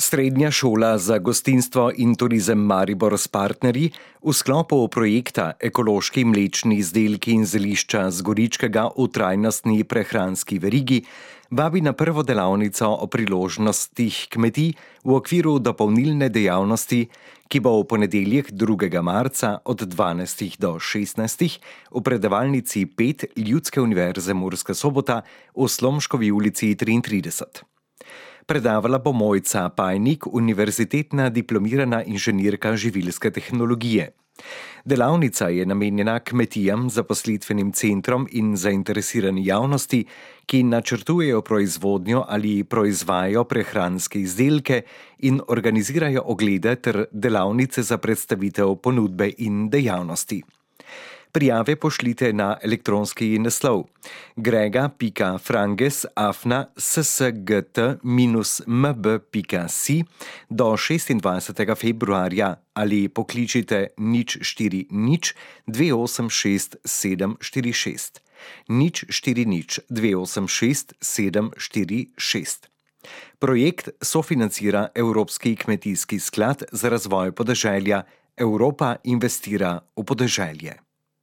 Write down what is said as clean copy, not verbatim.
Srednja šola za gostinstvo in turizem Maribor s partnerji v sklopu projekta Ekološki mlečni izdelki in zelišča z Goričkega v trajnostni prehranski verigi vabi na prvo delavnico o priložnostih kmetij v okviru dopolnilne dejavnosti, ki bo v ponedeljek 2. marca od 12. do 16. v predavalnici 5 Ljudske univerze Murska Sobota v Slomškovi ulici 33. Predavala bo Mojca Pajnik, univerzitetna diplomirana inženirka živilske tehnologije. Delavnica je namenjena kmetijam, zaposlitvenim centrom in zainteresirani javnosti, ki načrtujejo proizvodnjo ali proizvajajo prehranske izdelke in organizirajo oglede ter delavnice za predstavitev ponudbe in dejavnosti. Prijave pošljite na elektronski naslov grega.franges@ssgt-mb.si do 26. februarja ali pokličite 040 286 746. 040 286 746. Projekt sofinancira Evropski kmetijski sklad za razvoj podeželja. Evropa investira v podeželje.